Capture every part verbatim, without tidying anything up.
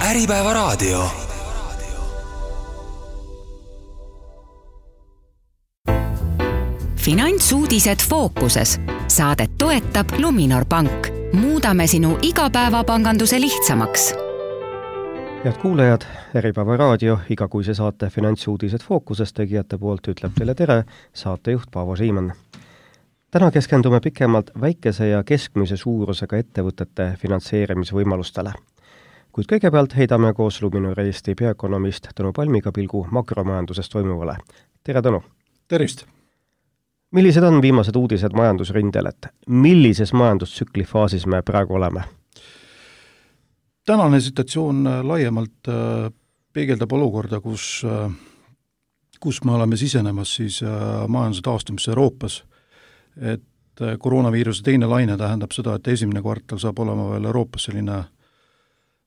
Äripäeva raadio. Finantsuudised fookuses. Saadet toetab Luminor Pank. Muudame sinu igapäevapanganduse lihtsamaks. Head kuulajad, Äripäeva raadio igakuise saate Finantsuudised fookuses tegijate poolt ütleb teile tere saatejuht Paavo Siimann. Täna keskendume pikemalt väikese ja keskmise suurusega ettevõtete finantseerimisvõimalustele. Kuid kõigepealt heidame koos Luminor Eesti peaökonomist Tõnu Palmiga pilgu makromajandusest toimuvale. Tere, Tõnu! Tervist! Millised on viimased uudised majandusrindel, et millises majandustsükli faasis me praegu oleme? Tänane situatsioon laiemalt peegeldab olukorda, kus, kus me oleme sisenemas siis majanduse taastumisse Euroopas. Et koroonaviiruse teine laine tähendab seda, et esimene kvartal saab olema veel Euroopas selline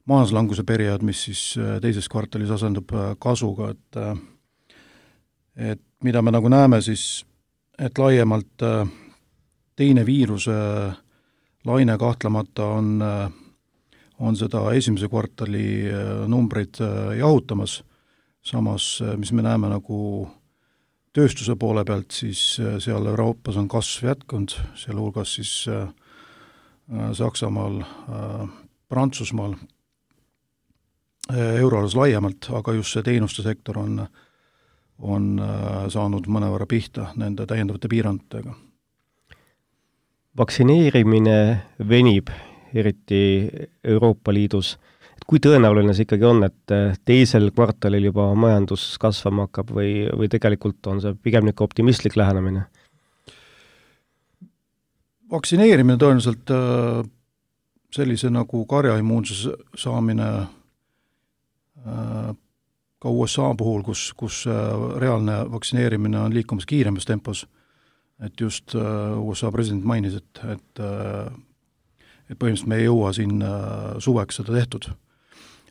majanduslanguse periood, mis siis teises kvartalis asendub kasuga, et, et mida me nagu näeme siis, et laiemalt teine viiruse laine kahtlemata on, on seda esimese kvartali numbreid jahutamas, samas mis me näeme nagu tööstuse poole pealt, siis seal Euroopas on kasv jätkunud, seal hulgas siis Saksamaal, Prantsusmaal, euroalas laiemalt, aga just see teenuste sektor on, on saanud mõnevõrra pihta nende täiendavate piirantega. Vaktsineerimine venib, eriti Euroopa Liidus. Kui tõenäoline see ikkagi on, et teisel kvartalil juba majandus kasvama hakkab või, või tegelikult on see pigem niisugune optimistlik lähenemine? Vaktsineerimine tõenäoliselt sellise nagu karjaimmuunsuse saamine ka U S A puhul, kus, kus reaalne vaktsineerimine on liikumas kiiremas tempos, et just U S A president mainis, et, et, et põhimõtteliselt me ei jõua siin suveks seda tehtud.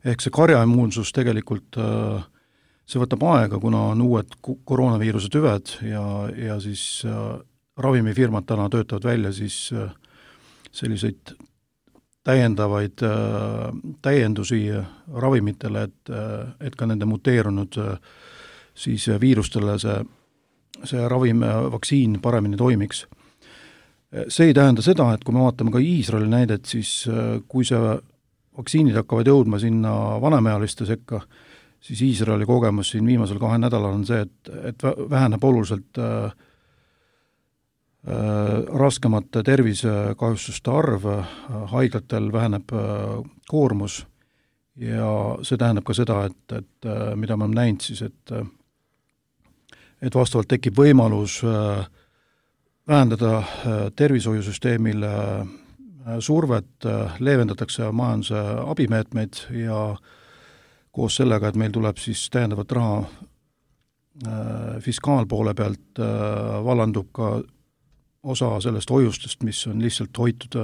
Ehk see karjaimmuunsus tegelikult, see võtab aega, kuna on uued koroonaviiruse tüved ja, ja siis ravimifirmad täna töötavad välja siis selliseid täiendavaid täiendusi ravimitele, et, et ka nende muteerunud siis viirustele see, see ravim, vaktsiin paremini toimiks. See ei tähenda seda, et kui me vaatame ka Iisraeli näidet, siis kui see vaktsiinid hakkavad jõudma sinna vanemealiste sekka, siis Iisraeli kogemus siin viimasel kahe nädalal on see, et, et väheneb oluliselt äh, raskemate tervisekahjustuste arv, haiglatel väheneb koormus ja see tähendab ka seda, et, et mida me oleme näinud siis, et, et vastavalt tekib võimalus vähendada tervishoiusüsteemile survet, leevendatakse majanduse abimeetmeid ja koos sellega, et meil tuleb siis täiendavat raha fiskaalpoole pealt, vallandub ka osa sellest hoiustest, mis on lihtsalt hoitud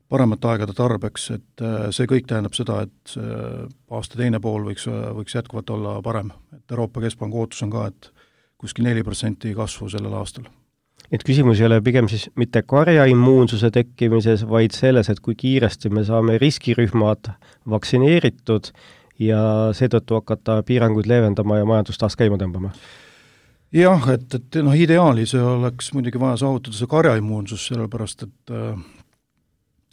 paremate aegade tarbeks, et see kõik tähendab seda, et aasta teine pool võiks, võiks jätkuvalt olla parem. Et Euroopa Keskpanga ootus on ka, et kuskil neli protsenti kasvu sellel aastal. Et küsimus ei ole pigem siis mitte karjaimmuunsuse tekkimises, vaid selles, et kui kiiresti me saame riskirühmad vaktsineeritud ja seetõttu hakata piiranguid leevendama ja majandust taas käima tõmbama. Jah, et, et noh, ideaali see oleks muidugi vaja saavutada see karjaimmuunsus, sellepärast et,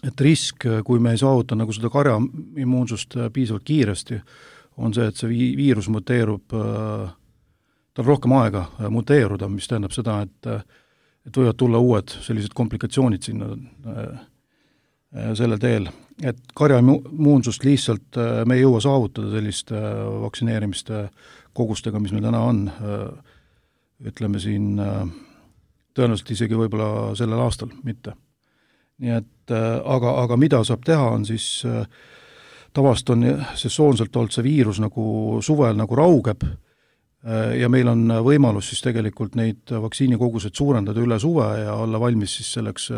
et risk, kui me ei saavuta nagu seda karjaimmuunsust piisavalt kiiresti, on see, et see viirus muteerub, tal rohkem aega muteeruda, mis tähendab seda, et, et võivad tulla uued sellised komplikatsioonid sinna sellel teel. Et karjaimmuunsust lihtsalt me ei jõua saavutada sellist vaktsineerimiste kogustega, mis meil täna on, ütleme siin tõenäoliselt isegi võib-olla sellel aastal mitte. Nii et, aga, aga mida saab teha, on siis tavast on sesoonselt olnud see viirus nagu suvel nagu raugeb ja meil on võimalus siis tegelikult neid vaktsiinikogused suurendada üle suve ja olla valmis siis selleks,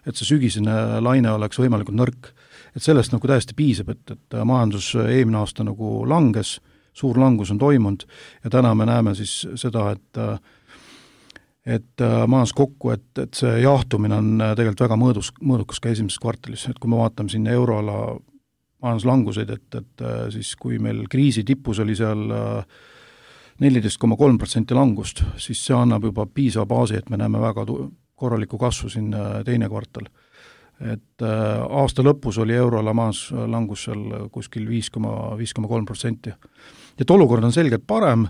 et see sügisene laine oleks võimalikult nõrk. Et sellest nagu täiesti piisab, et, et majandus eelmine aasta nagu langes, suur langus on toimunud ja täna me näeme siis seda, et, et majandus kokku, et, et see jahtumine on tegelikult väga mõõdus, mõõdukas ka esimeses kvartalis, et kui me vaatame sinna euroala majanduslanguseid, et, et siis kui meil kriisi tipus oli seal neliteist koma kolm protsenti langust, siis see annab juba piisava baasi, et me näeme väga korralikku kasvu siin teine kvartal. Et aasta lõpus oli euroala majanduslangus seal kuskil viis koma kolm protsenti. Et olukord on selgelt parem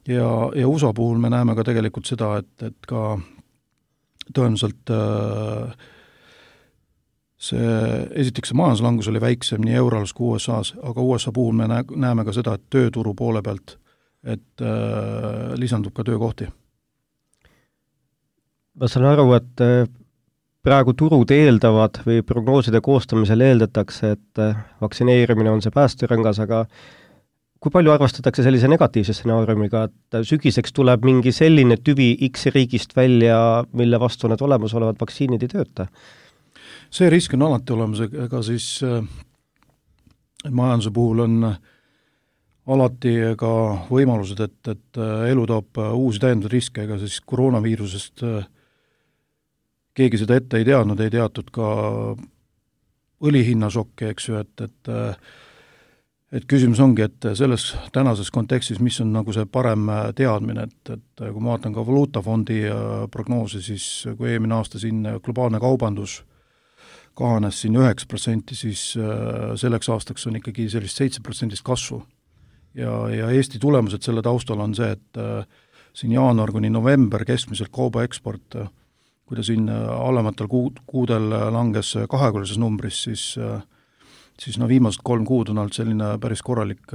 ja, ja U S A puhul me näeme ka tegelikult seda, et, et ka tõenäoliselt see, esiteks see majanduslangus oli väiksem nii euroalas kui U S A-s, aga U S A puhul me näeme ka seda, et tööturu poole pealt, et äh, lisandub ka töökohti. Ma saan aru, et praegu turud eeldavad või prognooside koostamisel eeldatakse, et vaktsineerimine on see päästerõngas, aga kui palju arvastatakse sellise negatiivse stsenaariumiga, et sügiseks tuleb mingi selline tüvi X riigist välja, mille vastu need olemasolevad vaktsiinid ei tööta? See risk on alati olemas, ega siis äh, majanduse puhul on alati ka võimalused, et, et elu toob uusi täiendavaid riske, ega siis koroonaviirusest äh, keegi seda ette ei teadnud, ei teatud ka õlihinnašokki, eks ju, et, et et küsimus ongi, et selles tänases kontekstis, mis on nagu see parem teadmine, et, et kui ma vaatan ka valuutafondi prognoosi, siis kui eelmine aasta siin globaalne kaubandus kahanes siin üheksa protsenti, siis selleks aastaks on ikkagi sellist seitse protsendist kasvu. Ja, ja Eesti tulemused selle taustal on see, et siin jaanuar kuni november keskmiselt kauba eksport, kui ta siin alematel kuud, kuudel langes kaheküllises numbris, siis, siis no viimased kolm kuud on olnud selline päris korralik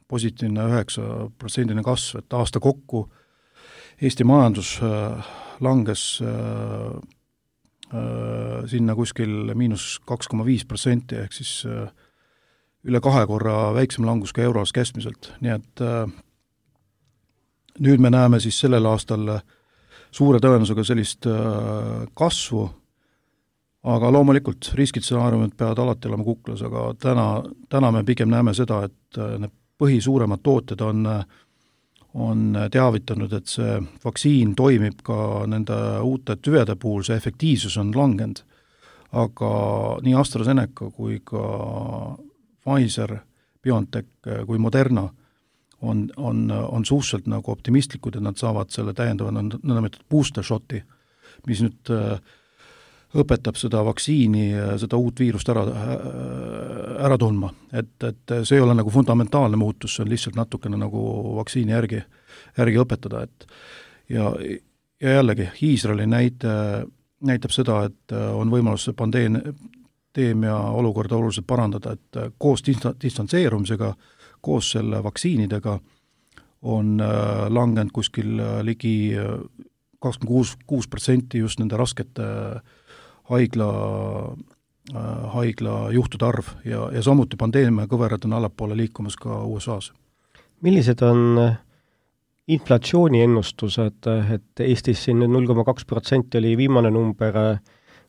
positiivne üheksa protsendine kasv, et aasta kokku Eesti majandus langes sinna kuskil miinus kaks koma viis protsenti, ehk siis üle kahe korra väiksem langus ka euroas keskmiselt, nii et nüüd me näeme siis sellel aastal suure tõenäosusega sellist kasvu, aga loomulikult riskitsenaariumid peavad alati olema kuklas, aga täna, täna me pigem näeme seda, et need põhisuuremad tooted on, on teavitanud, et see vaktsiin toimib ka nende uute tüvede puhul, see efektiivsus on langenud, aga nii AstraZeneca kui ka Pfizer, BioNTech kui Moderna on, on, on suhteliselt nagu optimistlikud, et nad saavad selle täiendava nõndametod booster shoti, mis nüüd õpetab seda vaktsiini, seda uut viirust ära, ära tundma. Et, et see ei ole nagu fundamentaalne muutus, see on lihtsalt natukene nagu vaktsiini järgi, järgi õpetada. Et ja, ja jällegi, Iisraeli näite, näitab seda, et on võimalus pandeemia olukorda oluliselt parandada, et koos distantseerumisega, koos selle vaktsiinidega on langenud kuskil ligi kakskümmend kuus protsenti just nende raskete haigla, haigla juhtude arv ja, ja samuti pandeemia kõverad on allapoole liikumas ka U S A-s. Millised on inflatsiooni ennustused, et Eestis siin null koma kaks protsenti oli viimane number,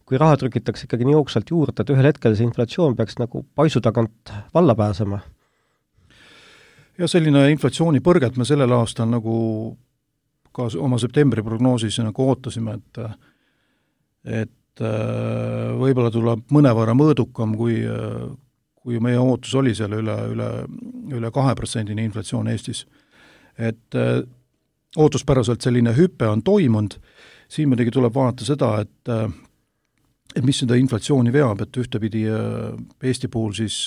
kui raha trükitakse ikkagi nii jooksvalt juurde, et ühel hetkel see inflatsioon peaks nagu paisu tagant valla pääsema? Ja selline inflatsiooni põrget me sellel aastal nagu ka oma septembri prognoosis nagu ootasime, et, et võib-olla tuleb mõnevõrra mõõdukam, kui, kui meie ootus oli seal üle, üle, üle kahe protsendini inflatsioon Eestis. Et ootuspäraselt selline hüpe on toimunud, siin muidugi tuleb vaadata seda, et, et mis seda inflatsiooni veab, et ühtepidi Eesti puhul siis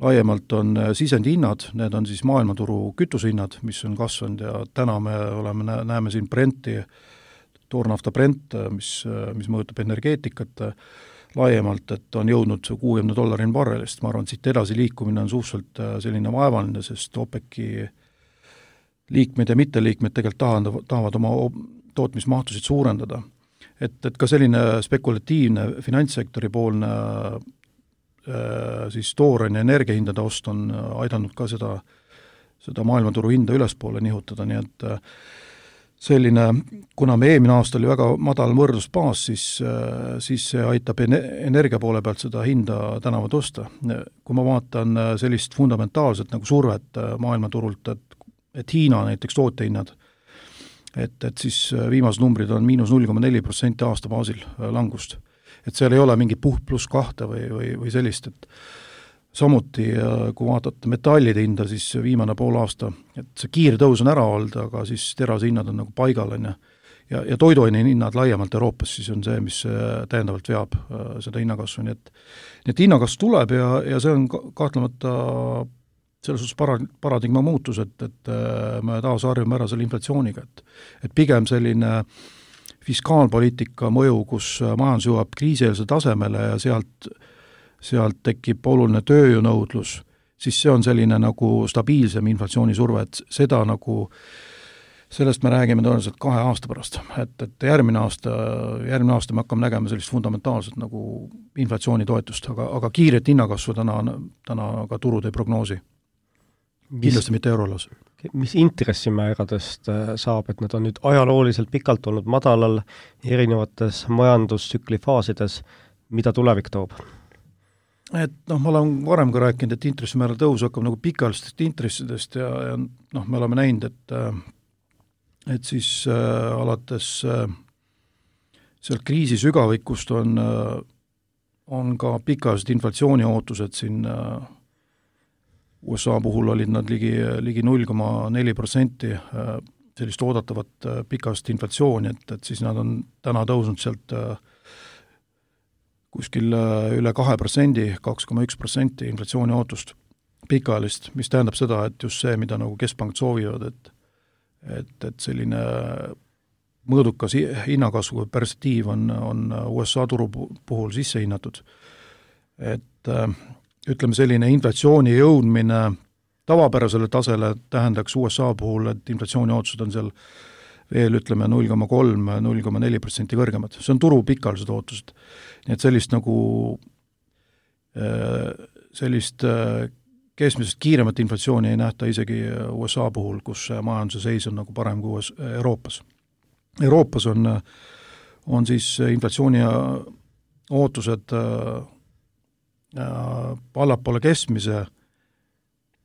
laiemalt on sisendihinnad, need on siis maailmaturu kütusehinnad, mis on kasvanud ja täna me oleme, näeme siin Brenti, toornafta Brent, mis, mis mõjutab energeetikat laiemalt, et on jõudnud kuuekümne dollarini barrelist. Ma arvan, et siit edasi liikumine on suhteliselt selline vaevaline, sest OPEC-i liikmed ja mitteliikmed tegelikult tahavad, tahavad oma tootmismahtusid suurendada. Et, et ka selline spekulatiivne finantssektori poolne siis tooraine energiahindade ost on aidanud ka seda, seda maailmaturu hinda ülespoole nihutada, nii et selline, kuna me eelmine aasta oli väga madal võrdlusbaas, siis, siis see aitab energia poole pealt seda hinda tänavu tõsta. Kui ma vaatan sellist fundamentaalset nagu survet maailmaturult, et, et Hiina näiteks tootehinnad, et, et siis viimased numbrid on miinus null koma neli protsenti aasta baasil langust. Et seal ei ole mingi puht pluss kahte või, või, või sellist, et samuti, kui vaatate metallide hinda, siis viimane pool aasta, et see kiire tõus on ära olnud, aga siis terase hinnad on nagu paigal, on ja, ja, ja toiduaine hinnad laiemalt Euroopas, siis on see, mis täiendavalt veab seda hinnakasvu, nii et, nii et hinnakasv tuleb ja, ja see on kahtlemata selles suhtes para, paradigma muutus, et, et me taas harjume ära selle inflatsiooniga, et, et pigem selline fiskaalpoliitika mõju, kus majandus jõuab kriisieelse tasemele ja sealt sealt tekib oluline tööjõunõudlus, siis see on selline nagu stabiilsem inflatsioonisurve, et seda nagu, sellest me räägime tõenäoliselt kahe aasta pärast, et, et järgmine aasta, järgmine aasta me hakkame nägema sellist fundamentaalset nagu inflatsioonitoetust, aga, aga kiiret hinnakasvu täna, täna ka turud ei prognoosi. Kindlasti mitte eurolas. Mis intressimääradest saab, et nad on nüüd ajalooliselt pikalt olnud madalal erinevates majandustsükli faasides, mida tulevik toob? Et noh, ma olen varem ka rääkinud, et intressimäära tõus hakkab nagu pikaalistest intressidest ja, ja noh, me oleme näinud, et et siis äh, alates äh, sealt kriisi sügavikust on, äh, on ka pikaalised inflatsiooni ootused siin äh, U S A puhul olid nad ligi, ligi null koma neli protsenti äh, sellist oodatavat äh, pikaalist inflatsiooni, et, et siis nad on täna tõusnud sealt äh, kuskil üle kahe protsendi, kaks koma üks protsenti inflatsiooni ootust pikaalist, mis tähendab seda, et just see, mida nagu keskpangad soovivad, et, et, et selline mõõdukas hinnakasvu perspektiiv on, on U S A turu puhul sisse hinnatud. Et ütleme, selline inflatsiooni jõudmine tavapärasele tasele tähendaks U S A puhul, et inflatsiooni ootused on seal veel ütleme null koma kolm, null koma neli protsenti kõrgemad. See on turu pikaalised ootused. Nii et sellist nagu sellist keskmisest kiiremat inflatsiooni ei nähta isegi U S A puhul, kus majanduse seis on nagu parem kui Euroopas. Euroopas on, on siis inflatsiooni ootused allapoole keskmise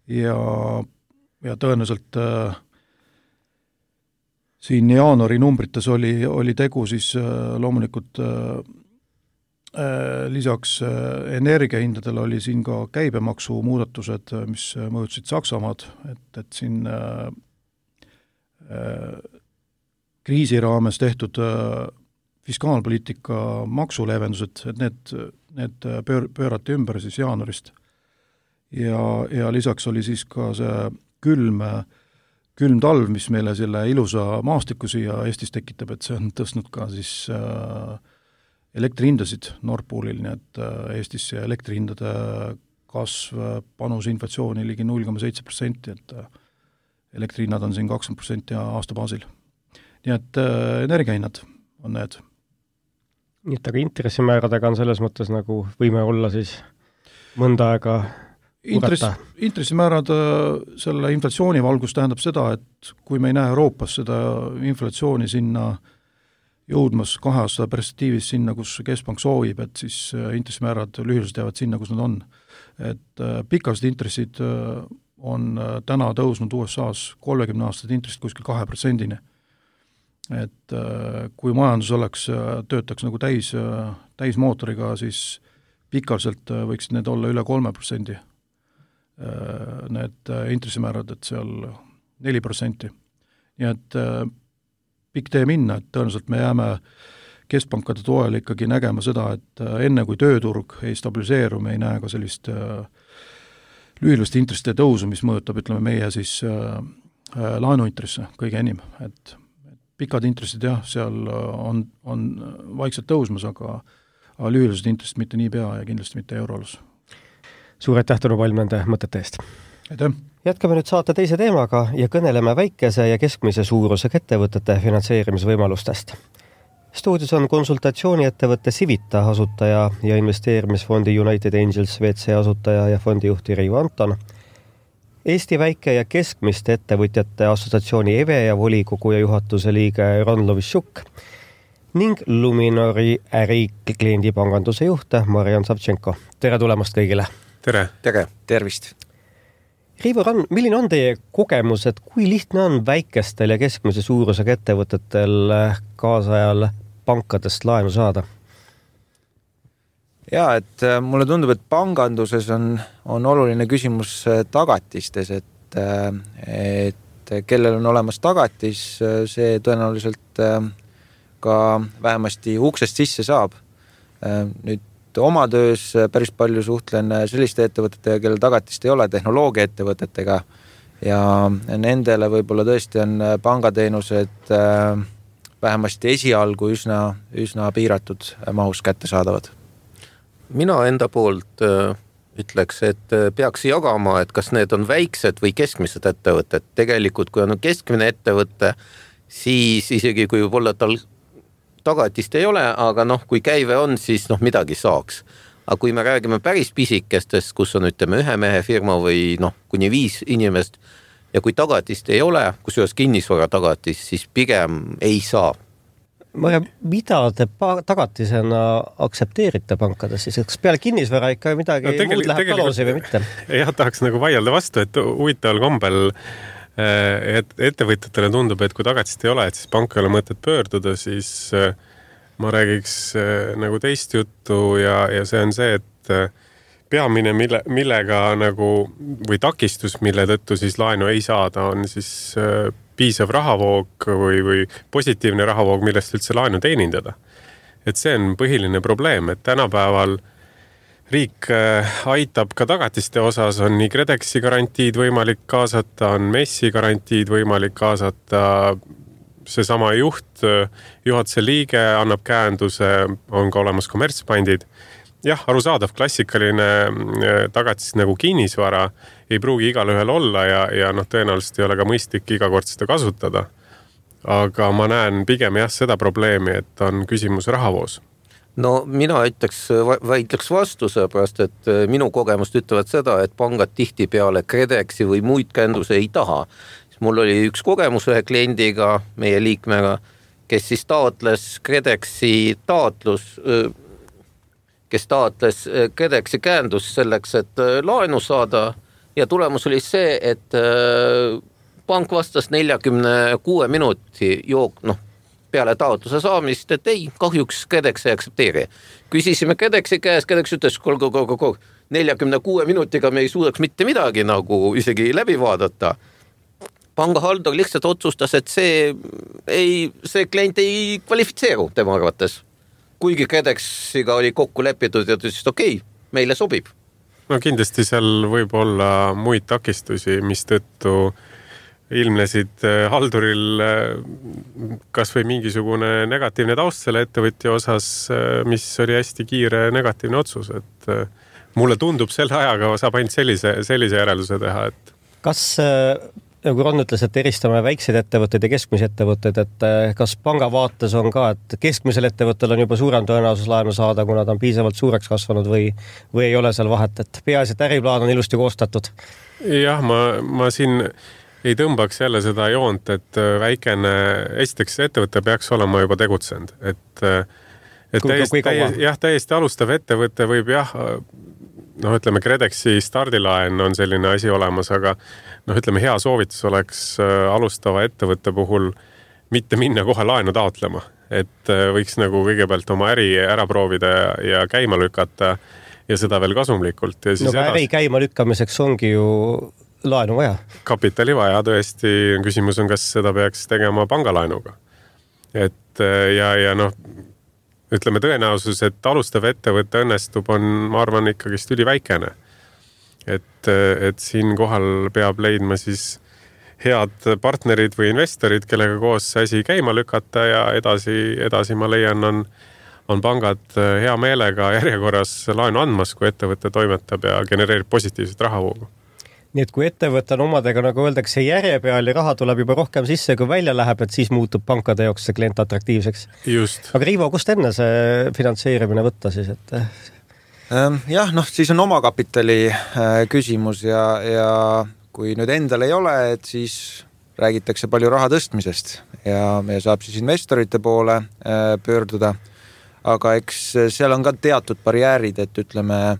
ja, ja tõenäoliselt siin jaanuari numbrites oli, oli tegu siis loomulikult lisaks energiahindadele oli siin ka käibemaksu muudatused, mis mõjutasid Saksamaad, et, et siin äh, kriisi raames tehtud äh, fiskaalpoliitika maksuleevendused, et need, need pöör, pöörati ümber siis jaanuarist. Ja, ja lisaks oli siis ka see külm külm talv, mis meile selle ilusa maastiku siia Eestis tekitab, et see on tõstnud ka siis äh, elektrihindasid Nord Poolil, nii et äh, Eestis elektrihindade kasv panus inflatsiooni ligi null koma seitse protsenti, et äh, elektrihinnad on siin kakskümmend protsenti aasta baasil. Nii et äh, energiahinnad on need. Nii et aga intressimääradega on selles mõttes nagu võime olla siis mõnda aega Intress, intressimäärad selle inflatsiooni valgus tähendab seda, et kui me ei näe Euroopas seda inflatsiooni sinna jõudmas kahe aasta perspektiivis sinna, kus keskpank soovib, et siis intressimäärad lühiliselt jäävad sinna, kus nad on. Et pikast intressid on täna tõusnud U S A-s kolmekümne aastased intressid kuskil kahe protsendini. Et kui majandus oleks, töötaks nagu täis, täismootoriga, siis pikaliselt võiks need olla üle kolme protsendi. Need intressimäärad, et seal neli protsenti. Nii et pikk tee minna, et tõenäoliselt me jääme keskpankade toel ikkagi nägema seda, et enne kui tööturg ei stabiliseeru, me ei näe ka sellist lühiliste intresside tõusu, mis mõjutab, ütleme, meie siis laenuintresse kõige enim. Et pikad intressid, jah, seal on, on vaikselt tõusmas, aga, aga lühilised intressid mitte nii pea ja kindlasti mitte euroalus. Suur aitäh, Tõnu Palm, nende mõtete eest. Aitäh. Jätkame nüüd saate teise teemaga ja kõneleme väikese ja keskmise suurusega ettevõtete finantseerimisvõimalustest. Stuudios on konsultatsiooniettevõtte Civita asutaja ja investeerimisfondi United Angels V C asutaja ja fondijuhti Reivo Anton, Eesti väike- ja keskmiste ettevõtjate assotsiatsiooni E V E ja volikogu ja juhatuse liige Ron Lovishuk ning Luminori ärikliendipanganduse juht Marian Savtšenko. Tere tulemast kõigile! Tere! Tere! Tervist! Reivo Rann, milline on teie kogemus, et kui lihtne on väikestel ja keskmise suurusega ettevõtetel kaasajal pankadest laenu saada? Jaa, et mulle tundub, et panganduses on, on oluline küsimus tagatistes, et, et kellel on olemas tagatis, see tõenäoliselt ka vähemasti uksest sisse saab. Nüüd oma töös päris palju suhtlen selliste ettevõtetega, kellel tagatist ei ole, tehnoloogia ettevõtetega ja nendele võib-olla tõesti on pangateenused vähemasti esialgu üsna, üsna piiratud mahus kätte saadavad. Mina enda poolt ütleks, et peaks jagama, et kas need on väiksed või keskmised ettevõtted. Tegelikult, kui on keskmine ettevõte, siis isegi kui võib-olla tal tagatist ei ole, aga noh, kui käive on, siis noh, midagi saaks. Aga kui me räägime päris pisikestest, kus on ütleme ühe mehe firma või noh, kuni viis inimest ja kui tagatist ei ole, kusjuures kinnisvara tagatist, siis pigem ei saa. Marja, mida te tagatisena aksepteerite pankades siis? Kas peale kinnisvara ikka midagi no, muud läheb taloosi või mitte? Jah, tahaks nagu vaielda vastu, et huvitaval kombel et ettevõtjatele tundub, et kui tagatist ei ole, et siis pank ei ole mõtet pöörduda, siis ma räägiks nagu teist juttu ja, ja see on see, et peamine, mille, millega nagu, või takistus, mille tõttu siis laenu ei saada, on siis piisav rahavoog või, või positiivne rahavoog, millest üldse laenu teenindada. Et see on põhiline probleem, et tänapäeval riik aitab ka tagatiste osas, on nii KredExi garantiid võimalik kaasata, on MES-i garantiid võimalik kaasata, seesama juht, juhatuse liige annab käenduse, on ka olemas kommertspandid. Jah, arusaadav klassikaline tagatis nagu kinnisvara ei pruugi igal ühel olla ja, ja noh, tõenäoliselt ei ole ka mõistlik iga kord seda kasutada. Aga ma näen pigem jah seda probleemi, et on küsimus rahavoos. No mina ütleks, väitleks vastu, seepärast, et minu kogemust ütlevad seda, et pangad tihti peale KredExi või muid käenduse ei taha. Mul oli üks kogemus ühe kliendiga, meie liikmega, kes siis taotles KredExi taotlus, kes taotles KredExi käendus selleks, et laenu saada ja tulemus oli see, et pank vastas neljakümne kuue minuti jook, noh, peale taotluse saamist, et ei, kahjuks KredEx ei aksepteeri. Küsisime KredExi käes, KredEx ütles, kol, kol, kol, kol, neljakümne kuue minutiga me ei suudaks mitte midagi nagu isegi läbi vaadata. Pangahaldor lihtsalt otsustas, et see, ei, see klient ei kvalifitseeru tema arvates. Kuigi KredExiga oli kokku lepitud ja ütles, et okei, meile sobib. No kindlasti seal võib olla muid takistusi, mis tõttu ilmnesid halduril kas või mingisugune negatiivne taust selle ettevõtja osas, mis oli hästi kiire negatiivne otsus, et mulle tundub selle ajaga saab ainult sellise, sellise järelduse teha, et kas, nagu Ron ütles, et eristame väikseid ettevõtteid ja keskmise ettevõtteid, et kas panga vaates on ka, et keskmisel ettevõttel on juba suurem tõenäosus laenu saada, kuna ta on piisavalt suureks kasvanud või, või ei ole seal vahet, et peaasi, et äriplaan on ilusti koostatud? Jah, ma, ma siin ei tõmbaks jälle seda joont, et väikene, esiteks ettevõte peaks olema juba tegutsenud, et, et kui, täiesti, täiesti, jah, täiesti alustav ettevõte võib jah, noh, ütleme KredExi stardilaen on selline asi olemas, aga noh, ütleme hea soovitus oleks alustava ettevõtte puhul mitte minna kohe laenu taotlema, et võiks nagu kõigepealt oma äri ära proovida ja käima lükata ja seda veel kasumlikult. Ja siis no äri edas... käima lükkamiseks ongi ju laenu vaja. Kapitali vaja, tõesti, küsimus on, kas seda peaks tegema pangalaenuga. Et ja, ja noh, ütleme tõenäosus, et alustav ettevõtte õnnestub on, ma arvan, ikkagist üliväikene. Et, et siin kohal peab leidma siis head partnerid või investorid, kellega koos asi käima lükata ja edasi, edasi ma leian, on, on pangad hea meelega järjekorras laenu andmas, kui ettevõte toimetab ja genereerib positiivset rahavoogu. Nii et kui ettevõte on omadega, nagu öeldakse, järje peal ja raha tuleb juba rohkem sisse, kui välja läheb, et siis muutub pankade jaoks see klient atraktiivseks. Just. Aga Riivo, kust enne see finantseerimine võtta siis? Et... Jah, noh, siis on omakapitali küsimus ja, ja kui nüüd endal ei ole, et siis räägitakse palju raha tõstmisest ja, ja saab siis investorite poole pöörduda. Aga eks seal on ka teatud barjäärid, et ütleme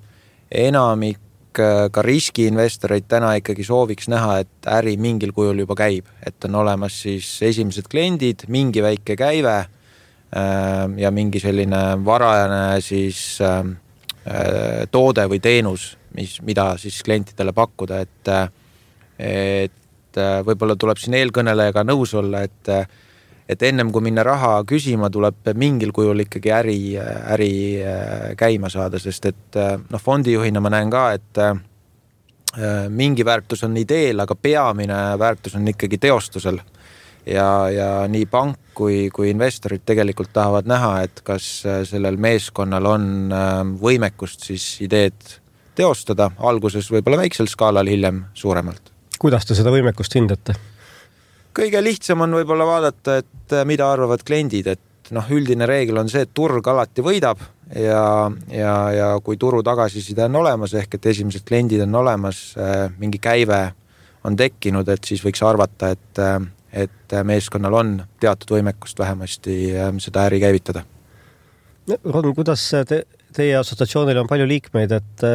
enamik ka riskiinvestoreid täna ikkagi sooviks näha, et äri mingil kujul juba käib, et on olemas siis esimesed kliendid, mingi väike käive ja mingi selline varajane siis toode või teenus, mis, mida siis klientidele pakkuda, et, et võib-olla tuleb siin eelkõnelejaga nõus olla, et, et ennem kui minna raha küsima, tuleb mingil kujul ikkagi äri, äri käima saada, sest et noh, fondijuhina ma näen ka, et mingi väärtus on ideel, aga peamine väärtus on ikkagi teostusel. Ja, ja nii pank kui, kui investorid tegelikult tahavad näha, et kas sellel meeskonnal on võimekust siis ideed teostada, alguses võib-olla väiksel skaalal, hiljem suuremalt. Kuidas te seda võimekust hindate? Kõige lihtsam on võib-olla vaadata, et mida arvavad kliendid, et noh, üldine reegel on see, et turg alati võidab ja, ja, ja kui turu tagasiside on olemas, ehk et esimesed kliendid on olemas, mingi käive on tekkinud, et siis võiks arvata, et et meeskonnal on teatud võimekust vähemasti seda äri käivitada. Ron, kuidas te, teie assotsiatsioonil on palju liikmeid, et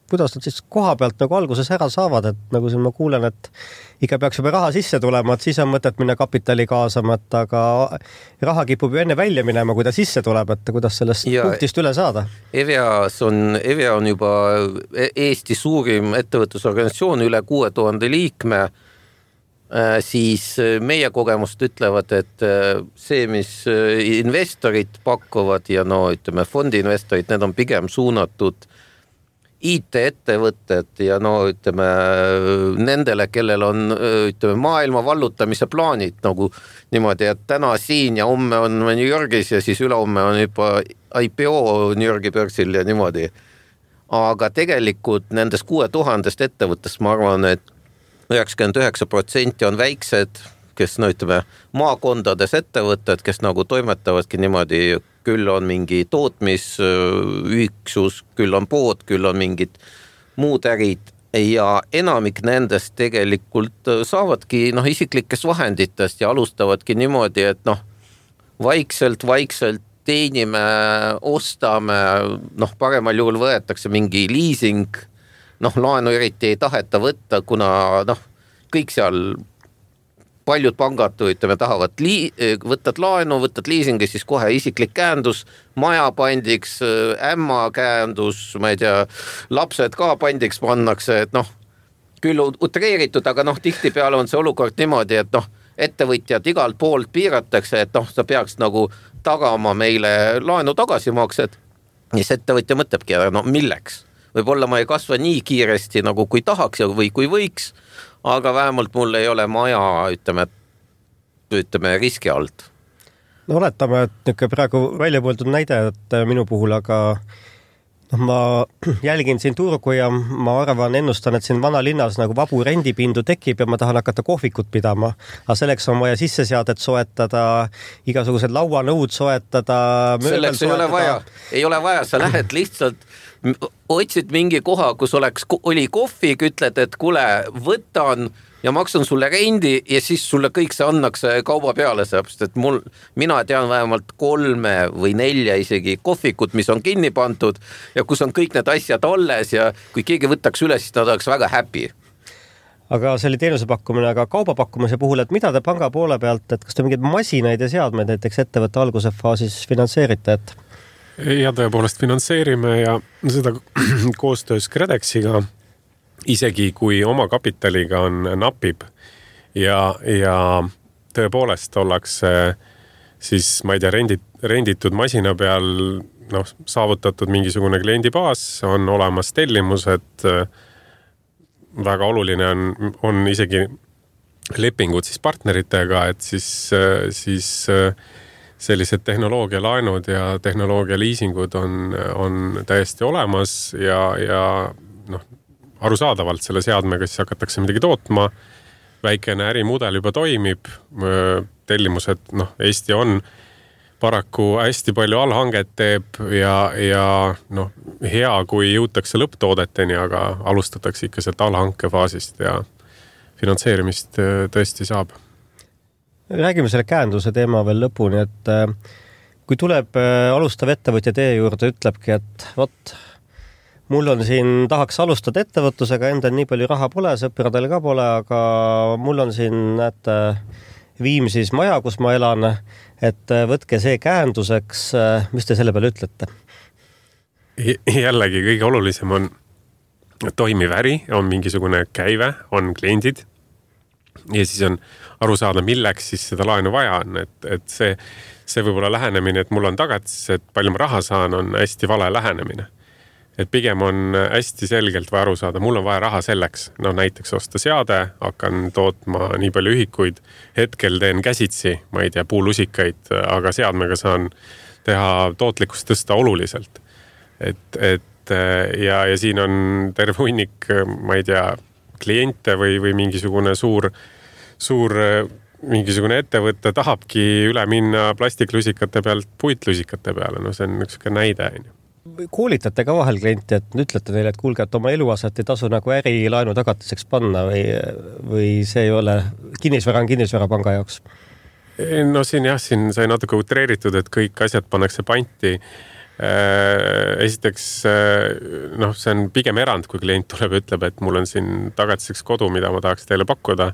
kuidas nad siis koha pealt nagu alguses ära saavad, et nagu siin ma kuulen, et ikka peaks juba raha sisse tulema, et siis on mõtet minna kapitali kaasama, et aga raha kipub ju enne välja minema, kui ta sisse tuleb, et kuidas sellest ja punktist üle saada? Evias on, Evia on juba Eesti suurim ettevõtlusorganisatsioon, üle kuue tuhande liikme, siis meie kogemust ütlevad, et see, mis investorid pakuvad ja no ütleme fondiinvestorid, need on pigem suunatud I T-ettevõtted ja no ütleme nendele, kellel on ütleme maailma vallutamise plaanid nagu niimoodi, et täna siin ja homme on New Yorgis ja siis ülehomme on juba I P O New Yorgi börsil ja niimoodi. Aga tegelikult nendest kuue tuhandest ettevõttest ma arvan, et üheksakümmend üheksa protsenti on väiksed, kes no ütleme maakondades ettevõtted, kes nagu toimetavadki niimoodi, küll on mingi tootmisüksus, küll on pood, küll on mingid muud ärid ja enamik nendest tegelikult saavadki noh, isiklikest vahenditest ja alustavadki niimoodi, et noh, vaikselt, vaikselt teenime, ostame, noh, paremal juhul võetakse mingi leasing, noh, laenu eriti ei taheta võtta, kuna noh, kõik seal paljud pangad ütleme, tahavad lii, võtad laenu, võtad liisingi, siis kohe isiklik käendus, maja pandiks, ämma käendus, ma ei tea, lapsed ka pandiks pannakse, et noh, küll utreeritud, aga noh, tihti peale on see olukord niimoodi, et noh, ettevõtjad igalt poolt piiratakse, et noh, sa peaks nagu tagama meile laenu tagasimaksed, siis ettevõtja mõtlebki, no milleks? Võib-olla ma ei kasva nii kiiresti nagu kui tahaks või kui võiks, aga vähemalt mul ei ole maja, ütleme, ütleme riski alt. No oletame, et praegu välja pooldud näide, et minu puhul, aga noh, ma jälgin siin turgu ja ma arvan, ennustan, et siin vanalinnas nagu vabu rendipindu tekib ja ma tahan hakata kohvikut pidama. Aga selleks on vaja sisseseadet soetada, igasugused lauanõud soetada. Selleks ei ole vaja, ei ole vaja, sa lähed lihtsalt otsid mingi koha, kus oleks, oli kohvik, ütled, et kule, võtan ja maksan sulle rendi ja siis sulle kõik see annakse kauba peale, seepärast, et mul, mina tean vähemalt kolme või nelja isegi kohvikut, mis on kinni pandud ja kus on kõik need asjad alles ja kui keegi võtaks üle, siis nad oleks väga happy. Aga see oli teenuse pakkumine, aga kaubapakkumise puhul, et mida te panga poole pealt, et kas te mingeid masinaid ja seadmeid näiteks ettevõtte alguse faasis finantseerite, et ja tõepoolest finantseerime ja seda koostöös Kredexiga, isegi kui oma kapitaliga on napib ja, ja tõepoolest ollakse siis, ma ei tea, rendit, renditud masina peal noh, saavutatud mingisugune kliendibaas, on olemas tellimused, väga oluline on, on isegi lepingud siis partneritega, et siis, siis sellised tehnoloogialaenud ja tehnoloogia liisingud on, on täiesti olemas ja, ja noh, arusaadavalt selle seadmega siis hakatakse midagi tootma, väikene ärimudel juba toimib, tellimused, noh, Eesti on paraku hästi palju allhanget teeb ja, ja noh, hea, kui jõutakse lõpptoodeteni, aga alustatakse ikka sealt allhanke faasist ja finantseerimist tõesti saab. Räägime selle käenduse teema veel lõpuni, et kui tuleb alustav ettevõtja teie juurde, ütlebki, et vot, mul on siin, tahaks alustada ettevõtlusega, endal nii palju raha pole, sõpradel ka pole, aga mul on siin, näete, Viimsis maja, kus ma elan, et võtke see käenduseks, mis te selle peale ütlete? jällegi kõige olulisem on toimiv äri, on mingisugune käive, on kliendid ja siis on aru saada, milleks siis seda laenu vaja on, et, et see, see võib-olla lähenemine, et mul on tagatis, et palju ma raha saan, on hästi vale lähenemine. Et pigem on hästi selgelt vaja aru saada, mul on vaja raha selleks, no näiteks osta seade, hakkan tootma nii palju ühikuid, hetkel teen käsitsi, ma ei tea, puulusikaid, aga seadmega saan teha tootlikkust tõsta oluliselt. Et, et ja, ja siin on terve hunnik, ma ei tea, kliente või, või mingisugune suur, suur mingisugune ettevõte tahabki üle minna plastiklusikate pealt puitlusikate peale, no see on üks näide. Koolitate ka vahel klienti, et ütlete neile, et kuulge, et oma eluaset ei tasu nagu ärilaenu tagatiseks panna või, või see ei ole kinnisvara on kinnisvara panga jaoks? No siin jah, siin sai natuke utreeritud, et kõik asjad pannakse panti. Esiteks, noh, see on pigem erand, kui klient tuleb ja ütleb, et mul on siin tagatiseks kodu, mida ma tahaks teile pakkuda.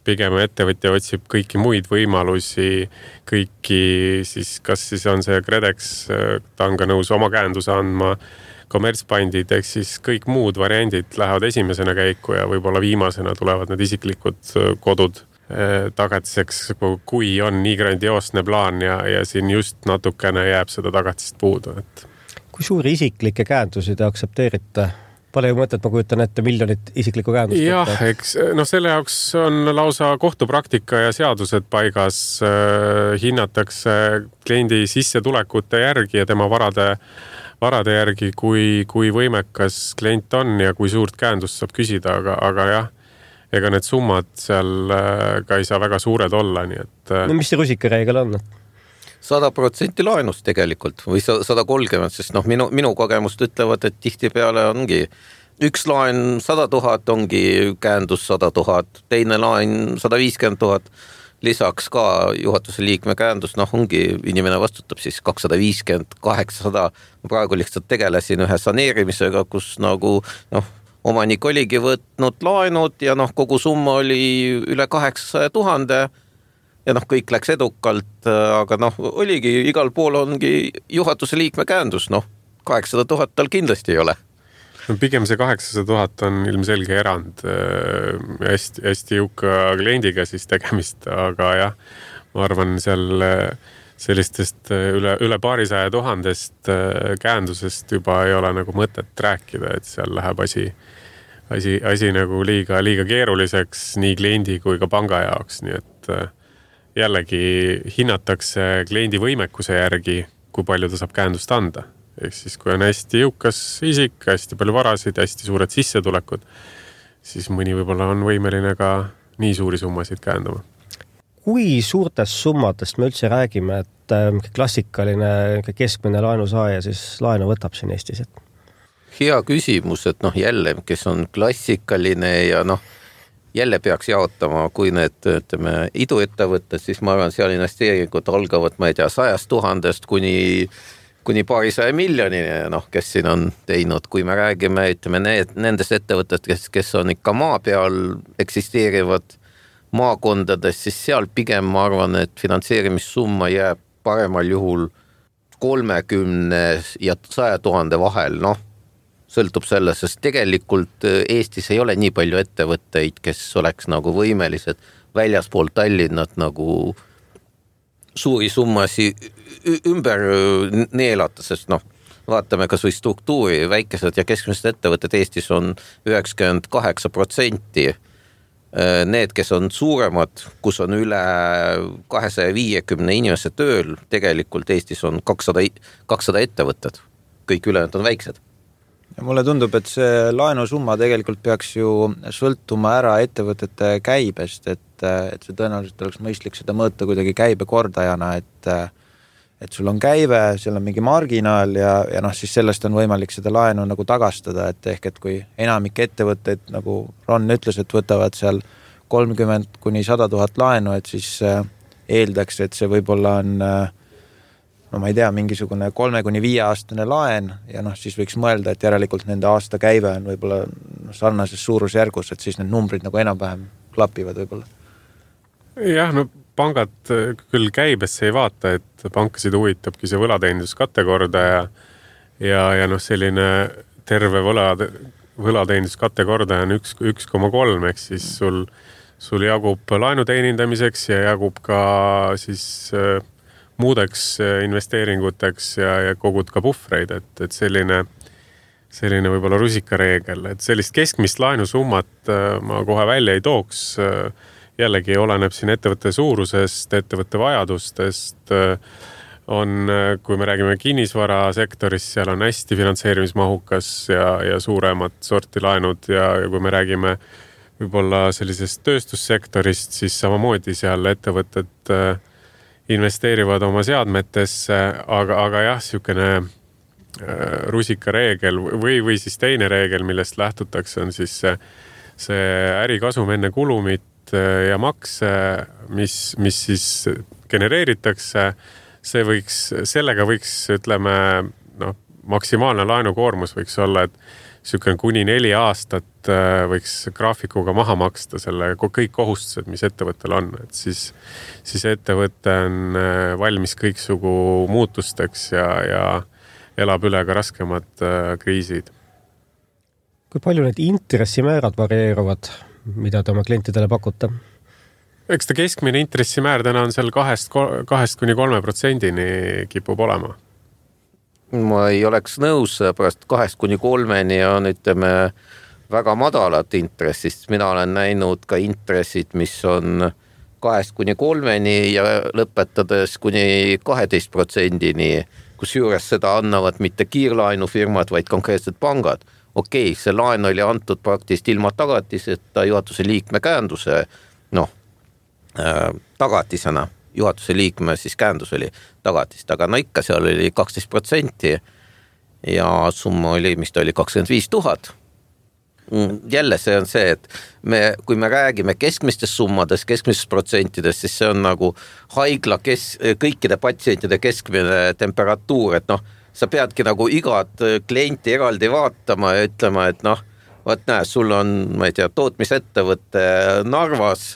Pigem ettevõtja otsib kõiki muid võimalusi, kõiki siis, kas siis on see Kredex, ta on ka nõus oma käenduse andma, kommertspandid, ehk siis kõik muud variandid lähevad esimesena käiku ja võib-olla viimasena tulevad need isiklikud kodud tagatiseks, kui on nii grandioosne plaan ja, ja siin just natukene jääb seda tagatist puudu. Et... Kui suuri isiklikke käendusi te aksepteerite? Pole ju mõtet, ma kujutan ette miljonit isiklikku käendust. Jah, eks no selle jaoks on lausa kohtupraktika ja seadused paigas. Äh, hinnatakse kliendi sissetulekute järgi ja tema varade, varade järgi, kui, kui võimekas klient on ja kui suurt käendust saab küsida, aga, aga jah, ega need summad seal ka ei saa väga suured olla, nii et... No mis see rusikareegel on? sada protsenti laenust tegelikult või sada kolmkümmend, sest noh, minu, minu kogemust ütlevad, et tihti peale ongi üks laen sada tuhat, ongi käendus sada tuhat, teine laen sada viiskümmend tuhat, lisaks ka juhatuse liikme käendus, noh ongi, inimene vastutab siis kakssada viiskümmend, kaheksasada, ma praegu lihtsalt tegelesin ühe saneerimisega, kus nagu noh, omanik oligi võtnud laenud ja noh, kogu summa oli üle kaheksasaja tuhande ja noh, kõik läks edukalt, aga noh, oligi, igal pool ongi juhatuse liikme käendus, noh, kaheksasada tuhat tal kindlasti ei ole. No, pigem see kaheksasada tuhat on ilmselge erand, hästi, hästi jõuka kliendiga siis tegemist, aga jah, ma arvan seal sellistest üle, üle paarisaja tuhandest käendusest juba ei ole nagu mõtet rääkida, et seal läheb asi, asi, asi nagu liiga, liiga keeruliseks nii kliendi kui ka panga jaoks, nii et jällegi hinnatakse kliendi võimekuse järgi, kui palju ta saab käendust anda. Ehk siis, kui on hästi jõukas isik, hästi palju varasid, hästi suured sissetulekud, siis mõni võib-olla on võimeline ka nii suuri summasid käendama. Kui suurtest summadest me üldse räägime, et klassikaline keskmine laenusaaja siis laenu võtab siin Eestis? Hea küsimus, et noh jälle, kes on klassikaline ja noh, jälle peaks jaotama, kui need ütleme, iduettevõtted, siis ma arvan, seal investeeringud algavad, ma ei tea, sajast tuhandest kuni, kuni paarisaja miljonini, noh, kes siin on teinud, kui me räägime, ütleme, need, nendest ettevõtted, kes, kes on ikka maa peal eksisteerivad maakondades, siis seal pigem ma arvan, et finantseerimissumma jääb paremal juhul kolmekümne ja saja tuhande vahel, noh, sõltub sellest, sest tegelikult Eestis ei ole nii palju ettevõtteid, kes oleks nagu võimelised väljaspool Tallinnat nagu suuri summasi ümber neelata, sest noh, vaatame kas või struktuuri, väikesed ja keskmised ettevõtted Eestis on üheksakümmend kaheksa protsenti. Need, kes on suuremad, kus on üle kahesaja viiekümne inimese tööl, tegelikult Eestis on kakssada, kakssada ettevõtted. Kõik ülejäänud on väiksed. Ja mulle tundub, et see laenusumma tegelikult peaks ju sõltuma ära ettevõtete käibest, et, et see tõenäoliselt oleks mõistlik seda mõõta kuidagi käibekordajana, et, et sul on käive, seal on mingi marginaal ja, ja noh, siis sellest on võimalik seda laenu nagu tagastada, et ehk, et kui enamik ettevõtteid, nagu Ron ütles, et võtavad seal kolmkümmend kuni sada tuhat laenu, et siis eeldaks, et see võib-olla on no ma ei tea, mingisugune kolme kuni viie aastane laen ja noh, siis võiks mõelda, et järelikult nende aasta käive on võib-olla sarnases suurusjärgus, et siis need numbrid nagu enam-vähem klapivad võib-olla. Jah, no pangad küll käibesse ei vaata, et pankasid huvitabki see võlateeninduskategoorda ja, ja, ja noh, selline terve võla, võlateeninduskatte kordaja on üks, üks koma kolm, ehk siis sul, sul jagub laenu teenindamiseks ja jagub ka siis äh, muudeks investeeringuteks ja, ja kogud ka puhvreid, et, et selline, selline võib-olla rusikareegel, et sellist keskmist laenusummat äh, ma kohe välja ei tooks. Jällegi oleneb siin ettevõtte suurusest, ettevõtte vajadustest, on, kui me räägime kinnisvarasektorist, seal on hästi finantseerimismahukas ja, ja suuremad sorti laenud ja, ja kui me räägime võib-olla sellisest tööstussektorist, siis samamoodi seal ettevõtted investeerivad oma seadmetesse, aga, aga jah, sihukene rusikareegel või, või siis teine reegel, millest lähtutakse, on siis see, see ärikasum enne kulumit ja makse, mis, mis siis genereeritakse, see võiks, sellega võiks, ütleme, noh, maksimaalne laenukoormus võiks olla, et sihukene kuni neli aastat võiks graafikuga maha maksta selle kõik kohustused, mis ettevõttel on, et siis, siis ettevõte on valmis kõiksugu muutusteks ja, ja elab üle ka raskemad kriisid. Kui palju need intressimäärad varieeruvad, mida te oma klientidele pakute? Eks ta keskmine intressimäär täna on seal kahest, kahest kuni kolme protsendini kipub olema. Ma ei oleks nõus, pärast kahest kuni kolmeni on, ütleme, väga madalat intressist. Mina olen näinud ka intressid, mis on kahest kuni kolmeni ja lõpetades kuni kaheteist protsendini, kus juures seda annavad mitte kiirlaenufirmad, vaid konkreetsed pangad. Okei, see laen oli antud praktiliselt ilma tagatiseta juhatuse liikme käänduse, noh, äh, tagatisena. Juhatuse liikme siis käändus oli tagatist, aga no ikka seal oli kaksteist protsenti ja summa oli, mis ta oli kakskümmend viis tuhat. Jälle see on see, et me, kui me räägime keskmistest summadest, keskmistest protsentidest, siis see on nagu haigla kes, kõikide patsientide keskmine temperatuur, et noh, sa peadki nagu igat klienti eraldi vaatama ja ütlema, et noh, vaat näe, sul on, ma ei tea, tootmisettevõtte Narvas,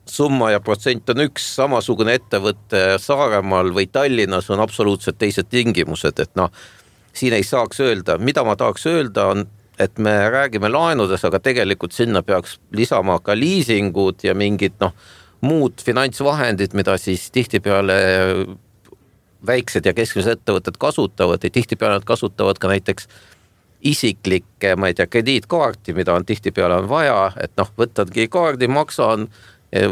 summa ja protsent on üks, samasugune ettevõtte Saaremaal või Tallinnas on absoluutselt teised tingimused, et noh, siin ei saaks öelda, mida ma tahaks öelda on, et me räägime laenudes, aga tegelikult sinna peaks lisama ka liisingud ja mingid noh, muud finantsvahendid, mida siis tihtipeale väiksed ja keskmised ettevõtted kasutavad ja tihtipeale nad kasutavad ka näiteks isiklikke, ma ei tea, krediitkaarti, mida on tihtipeale on vaja, et noh, võtadki kaardi, maksan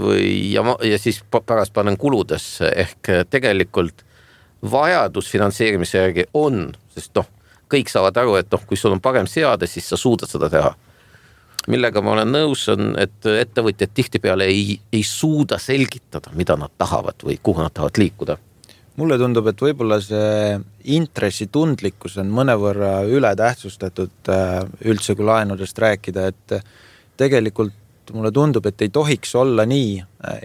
või, ja, ja siis pärast panen kuludesse, ehk tegelikult vajadus finantseerimise järgi on, sest noh, kõik saavad aru, et noh, kui sul on parem seade, siis sa suudad seda teha. Millega ma olen nõus on, et ettevõtjad tihtipeale ei, ei suuda selgitada, mida nad tahavad või kuhu nad tahavad liikuda. Mulle tundub, et võib-olla see intressitundlikkus on mõnevõrra üle tähtsustatud üldse kui laenudest rääkida, et tegelikult mulle tundub, et ei tohiks olla nii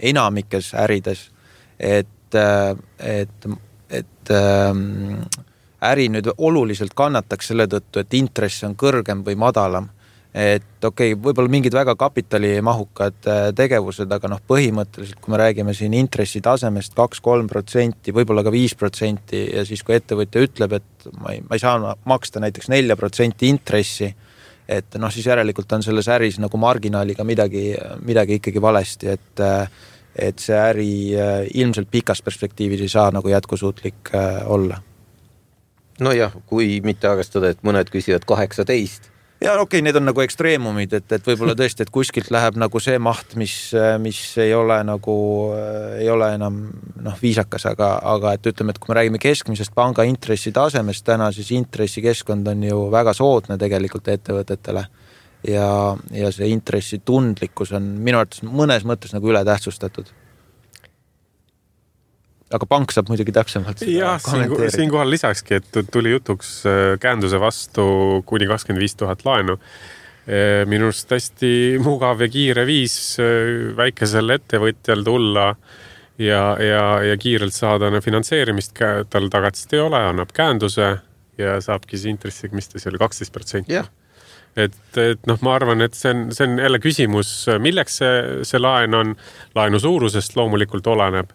enamikes ärides, et, et, et äri nüüd oluliselt kannataks selle tõttu, et intress on kõrgem või madalam. Et okei, okay, võib-olla mingid väga kapitalimahukad tegevused, aga noh, põhimõtteliselt, kui me räägime siin intressi tasemest kaks kuni kolm protsenti, võib-olla ka viis protsenti ja siis kui ettevõtja ütleb, et ma ei, ma ei saa maksta näiteks neli protsenti intressi, et noh, siis järelikult on selles äris nagu marginaaliga midagi, midagi ikkagi valesti, et, et see äri ilmselt pikas perspektiivis ei saa nagu jätkusuutlik olla. No jah, kui mitte arvestada, et mõned küsivad kaheksateist. Ja okei, okay, need on nagu ekstreemumid, et, et võib-olla tõesti, et kuskilt läheb nagu see maht, mis, mis ei ole nagu, ei ole enam noh, viisakas, aga, aga et ütleme, et kui me räägime keskmisest panga intressi tasemest täna, siis intressikeskkond on ju väga soodne tegelikult ettevõtetele ja, ja see intressi tundlikkus on minu arvates mõnes mõttes nagu üle tähtsustatud. Aga pank saab muidugi täpsemalt seda ja, kommenteerida. Siinkohal lisakski, et tuli jutuks käänduse vastu kuni kakskümmend viis tuhat laenu. Minust hästi mugav ja kiire viis väikesel ettevõtjal tulla ja, ja, ja kiirelt saada finantseerimist, tal tagatist ei ole, annab käänduse ja saabki see intressiga, mis ta seal kaksteist protsenti. Yeah. Et, et noh, ma arvan, et see on, see on jälle küsimus, milleks see, see laen on, laenu suurusest loomulikult oleneb.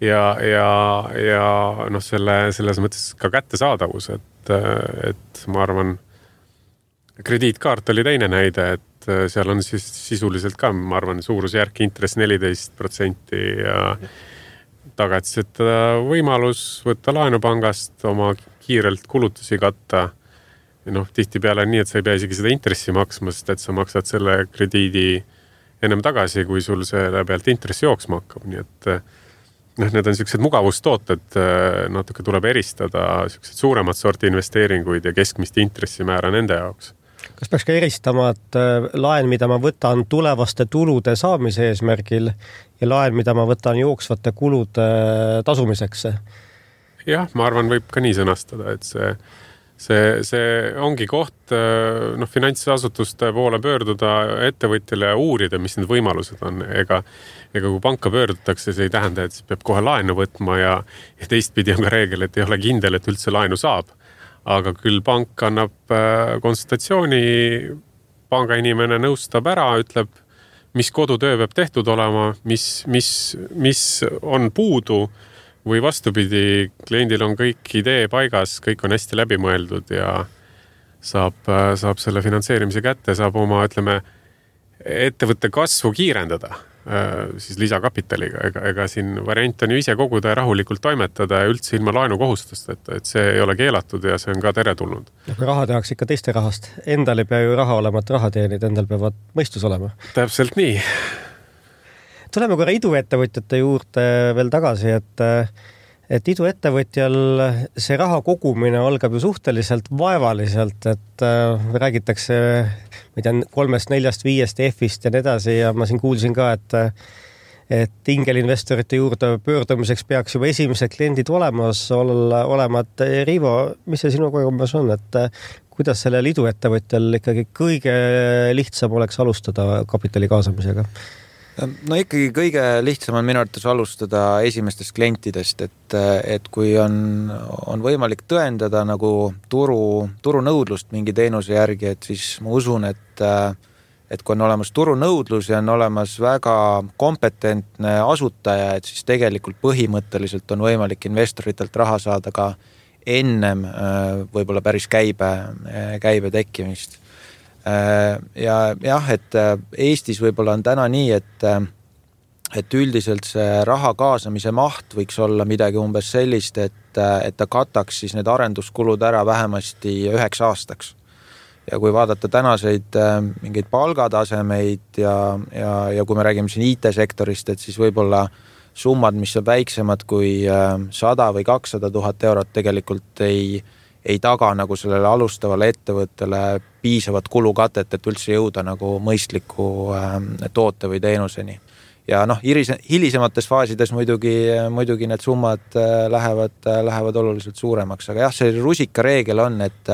Ja, ja, ja noh, selle, selles mõttes ka kättesaadavus, et et, et ma arvan, krediitkaart oli teine näide, et seal on siis sisuliselt ka, ma arvan, suurusjärk intress neliteist protsenti ja tagatiseta võimalus võtta laenupangast, oma kiirelt kulutusi katta. Ja noh, tihti peale on nii, et sa ei pea isegi seda intressi maksma, sest et sa maksad selle krediidi ennem tagasi, kui sul selle pealt intressi jooksma hakkab. Nii et noh, need on sellised mugavustooted, natuke tuleb eristada sellised suuremad sorti investeeringuid ja keskmist intressimäära nende jaoks. Kas peaks ka eristama, et laen, mida ma võtan tulevaste tulude saamise eesmärgil ja laen, mida ma võtan jooksvate kulude tasumiseks? Jah, ma arvan, võib ka nii sõnastada, et see, see, see ongi koht noh, finantsasutuste poole pöörduda ettevõtjale ja uurida, mis need võimalused on. Ega, ega kui panka pöördutakse, see ei tähenda, et peab kohe laenu võtma ja, ja teistpidi on ka reegel, et ei ole kindel, et üldse laenu saab. Aga küll pank annab konsultatsiooni, panga inimene nõustab ära, ütleb, mis kodutöö peab tehtud olema, mis, mis, mis on puudu või vastupidi, kliendil on kõik idee paigas, kõik on hästi läbimõeldud ja saab, saab selle finantseerimise kätte, saab oma, ütleme, ettevõtte kasvu kiirendada siis lisakapitaliga. Ega, ega siin variant on ju ise koguda ja rahulikult toimetada ja üldse ilma laenu kohustusteta, et see ei ole keelatud ja see on ka teretulnud. Kui raha tehakse ikka teiste rahast, endal ei pea ju raha olema, et raha teenid, endal peavad mõistus olema. Täpselt nii. Tuleme korra iduettevõtjate juurde veel tagasi, et et iduettevõtjal see raha kogumine algab ju suhteliselt vaevaliselt, et räägitakse ma ei tea, kolmest, neljast, viiest F-ist ja nii edasi ja ma siin kuulsin ka, et et ingelinvestorite juurde pöördumiseks peaks juba esimesed kliendid olemas olla, olema. Et Riivo, mis see sinu kogemus on, et kuidas sellel iduettevõtjal ikkagi kõige lihtsam oleks alustada kapitali kaasamisega? No ikkagi kõige lihtsam on minu arvates alustada esimestest klientidest, et, et kui on, on võimalik tõendada nagu turu, turunõudlust mingi teenuse järgi, et siis ma usun, et, et kui on olemas turunõudlus ja on olemas väga kompetentne asutaja, et siis tegelikult põhimõtteliselt on võimalik investoritelt raha saada ka ennem võib-olla päris käibe, käibe tekkimist. Ja jah, et Eestis võib-olla on täna nii, et, et üldiselt see raha kaasamise maht võiks olla midagi umbes sellist, et, et ta kataks siis need arenduskulud ära vähemasti üheks aastaks. Ja kui vaadata tänaseid mingeid palgatasemeid ja, ja, ja kui me räägime siin I T-sektorist, et siis võib-olla summad, mis on väiksemad kui sada või kakssada tuhat eurot tegelikult ei ei taga nagu sellele alustavale ettevõttele piisavat kulukatet, et üldse jõuda nagu mõistliku toote või teenuseni. Ja noh, hilisemates faasides muidugi, muidugi need summad lähevad, lähevad oluliselt suuremaks, aga jah, see rusika reegel on, et,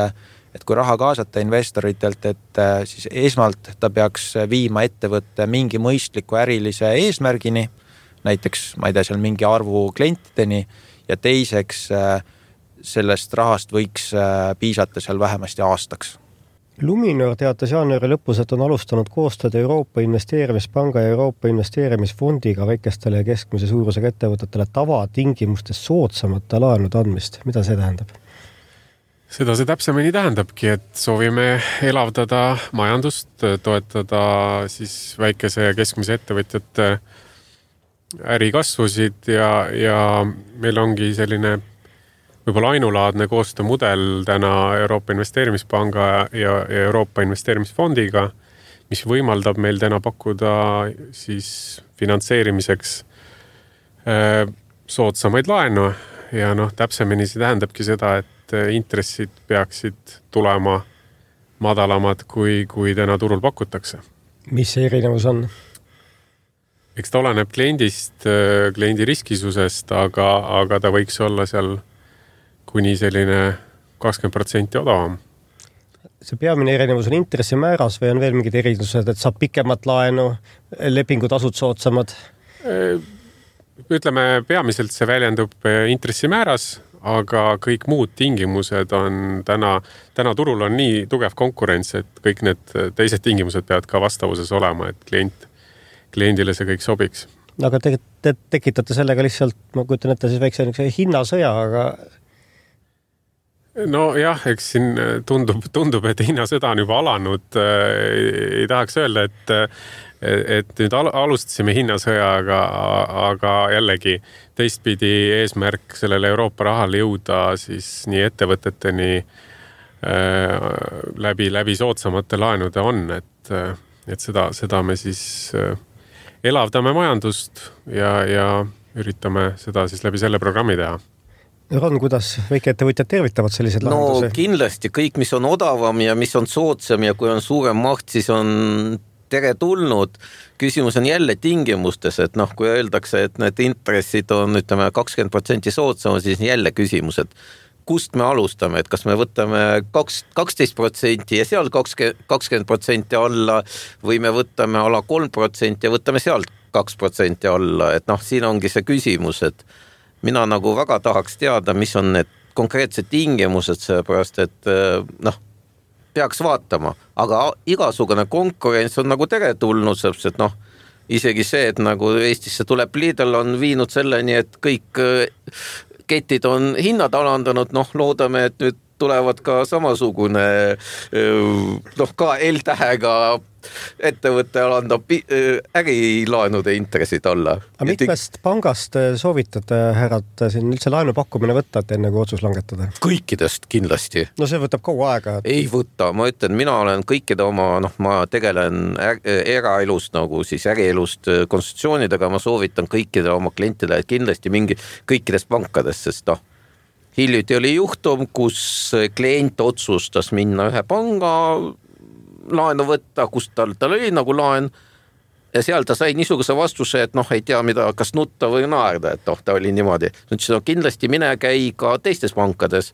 et kui raha kaasata investoritelt, et siis esmalt ta peaks viima ettevõtte mingi mõistliku ärilise eesmärgini, näiteks, ma ei tea, seal mingi arvu klientideni ja teiseks sellest rahast võiks piisata seal vähemasti aastaks. Luminor teatas jaanuari lõpus, et on alustanud koostööd Euroopa Investeerimispanga ja Euroopa Investeerimisfondiga väikestele ja keskmise suurusega ettevõtetele tavatingimustes soodsamate laenude andmist. Mida see tähendab? Seda see täpsemini tähendabki, et soovime elavdada majandust, toetada siis väikese ja keskmise ettevõtjate ärikasvusid ja, ja meil ongi selline võib-olla ainulaadne koostöömudel täna Euroopa Investeerimispanga ja Euroopa Investeerimisfondiga, mis võimaldab meil täna pakkuda siis finantseerimiseks soodsamaid laenu ja noh, täpsemini see tähendabki seda, et intressid peaksid tulema madalamad, kui, kui täna turul pakutakse. Mis see erinevus on? Eks ta oleneb kliendist, kliendi riskisusest, aga, aga ta võiks olla seal kuni selline kakskümmend protsenti odavam. See peamine erinevus on intressimääras või on veel mingid erinevused, et saab pikemat laenu, lepingutasud soodsamad? Ütleme, peamiselt see väljendub intressimääras, aga kõik muud tingimused on täna, täna turul on nii tugev konkurents, et kõik need teised tingimused peavad ka vastavuses olema, et klient, kliendile see kõik sobiks. Aga te, te tekitate sellega lihtsalt, ma kujutan ette siis väikse hinnasõja, aga no jah, eks siin tundub, tundub, et hinnasõda on juba alanud. Ei tahaks öelda, et, et nüüd alustasime hinnasõjaga, aga jällegi teistpidi eesmärk sellele Euroopa rahale jõuda siis nii ettevõteteni läbi, läbi soodsamate laenude on, et, et seda, seda me siis elavdame majandust ja, ja üritame seda siis läbi selle programmi teha. Ron, kuidas väikeettevõtjad tervitavad sellised lahendusi? No kindlasti kõik, mis on odavam ja mis on soodsam ja kui on suurem maht, siis on tere tulnud. Küsimus on jälle tingimustes, et noh, kui öeldakse, et need intressid on ütleme kakskümmend protsenti soodsam, siis jälle küsimus, et kust me alustame, et kas me võtame kaksteist protsenti ja seal kakskümmend protsenti alla või me võtame ala kolm protsenti ja võtame sealt kaks protsenti alla, et noh, siin ongi see küsimus, et mina nagu väga tahaks teada, mis on need konkreetsed tingimused, seepärast, et noh, peaks vaatama, aga igasugune konkurents on nagu teretulnud, seepärast, et noh, isegi see, et nagu Eestisse tuleb Lidl on viinud selleni, et kõik ketid on hinnad alandanud, noh, loodame, et nüüd tulevad ka samasugune noh, ka L-tähega ettevõtte alandab ärilaenude intressid alla. Aga mitmest pangast soovitate, härrad, siin üldse laenu pakkumine võtta, et enne kui otsus langetada? Kõikidest kindlasti. No see võtab kogu aega. Et... Ei võta, ma ütlen, mina olen kõikide oma, noh, ma tegelen eraelust, nagu siis ärielust konstitutsioonidega, ma soovitan kõikide oma klientidele, et kindlasti mingi kõikidest pankadest, sest noh, hiljuti oli juhtum, kus klient otsustas minna ühe panga laenu võtta, kus tal, tal oli nagu laen ja seal ta sai niisuguse vastuse, et noh, ei tea mida, kas nutta või naerda, et noh, ta oli niimoodi. Nüüd no, kindlasti mine käi ka teistes pankades.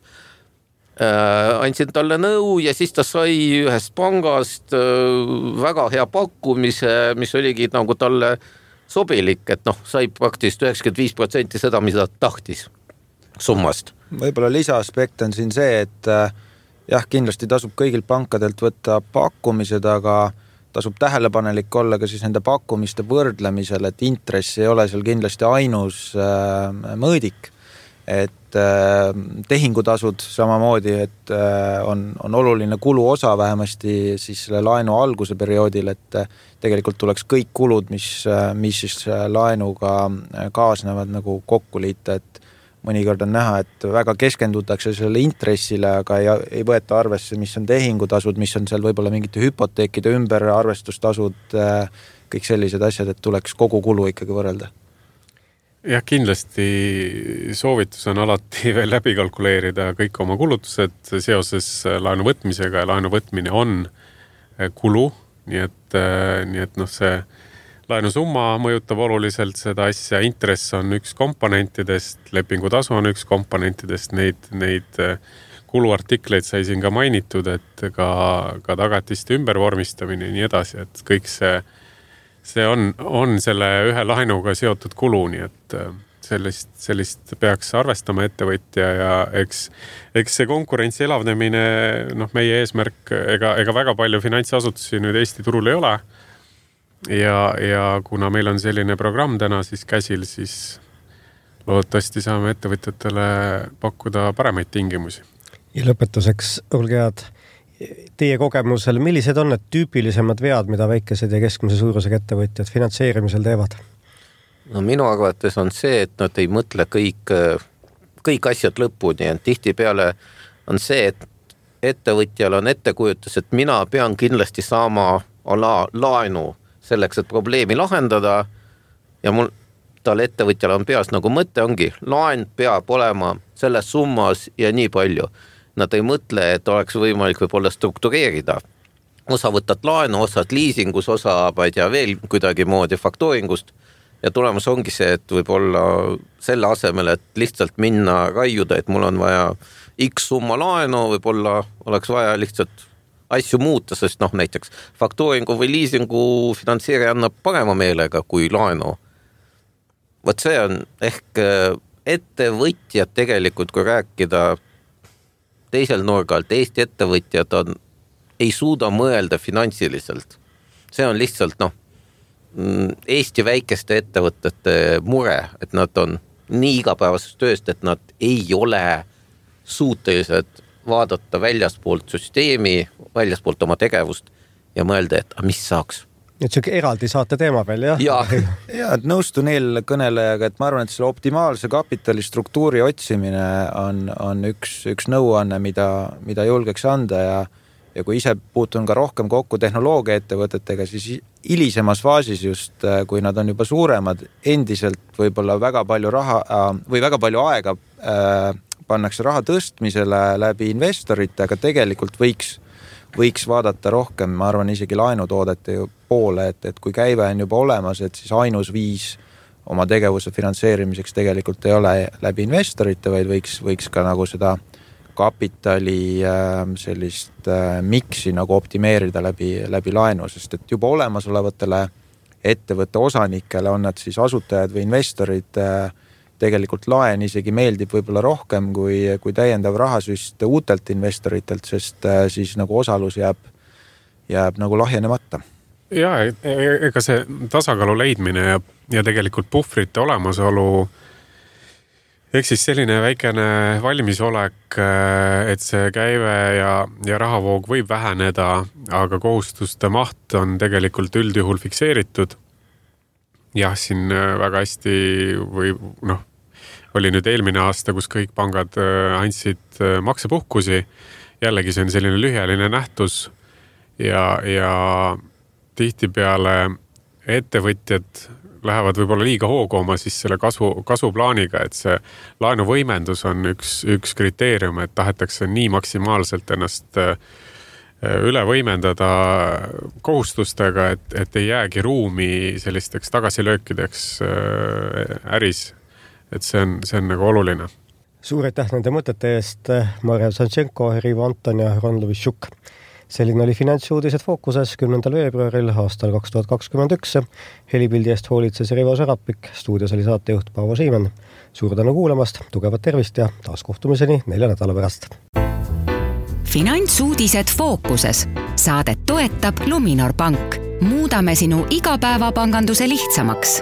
Äh, andsin talle nõu ja siis ta sai ühest pangast äh, väga hea pakkumise, mis oligi nagu talle sobilik, et noh, sai praktiliselt üheksakümmend viis protsenti seda, mida ta tahtis summast. Võib-olla lisaaspekt on siin see, et äh, jah, kindlasti tasub kõigil pankadelt võtta pakkumised, aga tasub tähelepanelik olla ka siis nende pakkumiste võrdlemisel, et intress ei ole seal kindlasti ainus äh, mõõdik, et äh, tehingutasud samamoodi, et äh, on, on oluline kulu osa vähemasti siis selle laenu alguse perioodil, et äh, tegelikult tuleks kõik kulud, mis, äh, mis siis laenuga kaasnevad nagu kokku liita, et mõnikord on näha, et väga keskendutakse selle intressile, aga ei, ei võeta arvesse, mis on tehingutasud, mis on seal võib-olla mingite hüpoteekide ümber arvestustasud, kõik sellised asjad, et tuleks kogu kulu ikkagi võrrelda. Jah, kindlasti soovitus on alati veel läbi kalkuleerida kõik oma kulutused seoses laenu võtmisega ja laenu võtmine on kulu, nii et, nii et noh, see laenusumma mõjutab oluliselt seda asja, intress on üks komponentidest, lepingutasu on üks komponentidest, neid, neid kuluartikleid sai siin ka mainitud, et ka, ka tagatiste ümbervormistamine ja nii edasi, et kõik see, see on, on selle ühe laenuga seotud kulu, nii et sellist, sellist peaks arvestama ettevõtja ja eks, eks see konkurentsi elavnemine, noh, meie eesmärk, ega, ega väga palju finantsasutusi nüüd Eesti turul ei ole. Ja, ja kuna meil on selline programm täna siis käsil, siis loodetavasti saame ettevõtjatele pakkuda paremaid tingimusi. Ja lõpetuseks, olge head, teie kogemusel, millised on need tüüpilisemad vead, mida väikesed ja keskmise suurusega ettevõtjad finantseerimisel teevad? No minu arvates on see, et nad ei mõtle kõik, kõik asjad lõpuni, et tihti peale on see, et ettevõtjal on ettekujutus, et mina pean kindlasti saama ala laenu selleks, et probleemi lahendada ja mul tal ettevõtjal on peas nagu mõte ongi, laen peab olema selles summas ja nii palju. Nad ei mõtle, et oleks võimalik võib-olla struktureerida. Osa võtad laenu, osad liisingus, osa vaid ja veel kuidagi moodi faktooringust ja tulemus ongi see, et võib-olla selle asemel, et lihtsalt minna raiuda, et mul on vaja X summa laenu, võib-olla oleks vaja lihtsalt asju muuta, sest noh, näiteks faktooringu või liisingu finantseerija annab parema meelega kui laenu. Võt see on ehk ettevõtjad tegelikult, kui rääkida teisel nurgalt, Eesti ettevõtjad on, ei suuda mõelda finantsiliselt. See on lihtsalt noh, Eesti väikeste ettevõtete mure, et nad on nii igapäevasest tööst, et nad ei ole suutelised vaadata väljaspoolt süsteemi, väljaspoolt oma tegevust ja mõelda, et mis saaks. Et see eraldi saate teema veel, jah? Ja, ja et nõustun eelkõnelejaga, et ma arvan, et selle optimaalse kapitalistruktuuri otsimine on, on üks, üks nõuanne, mida, mida julgeks anda ja, ja kui ise puutun ka rohkem kokku tehnoloogia ettevõtetega, siis hilisemas faasis just, kui nad on juba suuremad, endiselt võib-olla väga palju raha või väga palju aega äh, pannakse raha tõstmisele läbi investorite, aga tegelikult võiks võiks vaadata rohkem, ma arvan, isegi laenutoodete poole, et, et kui käive on juba olemas, et siis ainus viis oma tegevuse finantseerimiseks tegelikult ei ole läbi investorite, vaid võiks, võiks ka nagu seda kapitali äh, sellist äh, miksi nagu optimeerida läbi, läbi laenu, sest et juba olemasolevatele ettevõtte osanikele on nad siis asutajad või investorid äh, tegelikult laen isegi meeldib võib-olla rohkem kui, kui täiendav rahasüst uutelt investoritelt, sest siis nagu osalus jääb, jääb nagu lahjenemata. Ja, ega see tasakaalu leidmine ja, ja tegelikult puhvrite olemasolu ehk siis selline väikene valmisolek, et see käive ja, ja rahavoog võib väheneda, aga kohustuste maht on tegelikult üldjuhul fikseeritud. Jah, siin väga hästi või noh, oli nüüd eelmine aasta, kus kõik pangad andsid maksepuhkusi. Jällegi see on selline lühiajaline nähtus ja, ja tihtipeale ettevõtjad lähevad võib-olla liiga hoogooma siis selle kasu, kasuplaaniga, et see laenuvõimendus on üks, üks kriteerium, et tahetakse nii maksimaalselt ennast üle võimendada kohustustega, et, et ei jäägi ruumi sellisteks tagasilöökideks äris. Et see on, see on nagu oluline. Suur aitäh nende mõtete eest, Marja Sanchenko, Rivo Anton ja Ron Lovishuk. Selline oli Finantsuudised fookuses kümnendal veebruaril aastal kaks tuhat kakskümmend üks. Helipildi eest hoolitses Rivo Sarapik, stuudios oli saatejuht Paavo Siimann. Suur tänu kuulamast, tugevat tervist ja taas kohtumiseni nelja nädala pärast. Finantsuudised fookuses. Saadet toetab Luminor Pank. Muudame sinu igapäevapanganduse lihtsamaks.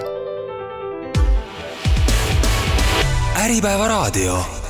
Äripäeva raadio.